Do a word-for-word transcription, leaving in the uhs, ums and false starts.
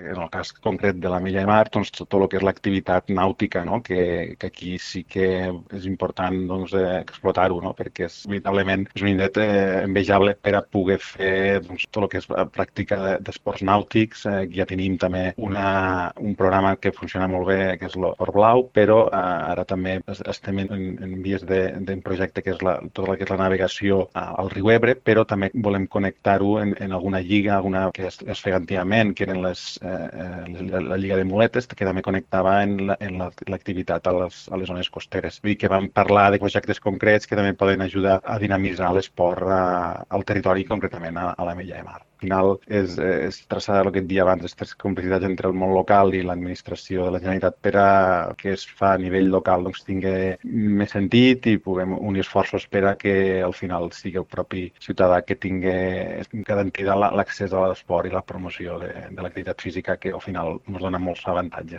en el cas concret de la Milla de Mar, doncs, tot el que és l'activitat nàutica, no? que, que aquí sí que és important doncs, eh, explotar-ho, no? perquè és, veritablement és un indret eh, envejable per a poder fer doncs, tot el que és la pràctica d'esports nàutics. Eh, ja tenim també una, un programa que funciona molt bé, que és l'Esport Blau, però eh, ara també estem en, en vies d'un projecte que és la, tota la que és la navegació al riu Ebre, però també volem connectar-ho en, en alguna lliga, alguna que es, es feia antigament, que eren les, eh, la, la lliga de muletes, que també connectava en l'activitat la, a, les, a les zones costeres. Vull dir que vam parlar de projectes concrets que també poden ajudar a dinamitzar l'esport al territori, concretament a, a la Mella de Mar. Al final és, és traçar el que et dia abans, aquestes complicitats entre el món local i l'administració de la Generalitat per a que es fa a nivell local doncs, tingui més sentit i puguem unir esforços per a que al final sigui el propi ciutadà que tingui garantida l'accés a l'esport i la promoció de, de l'activitat física, que al final ens dona molts avantatges.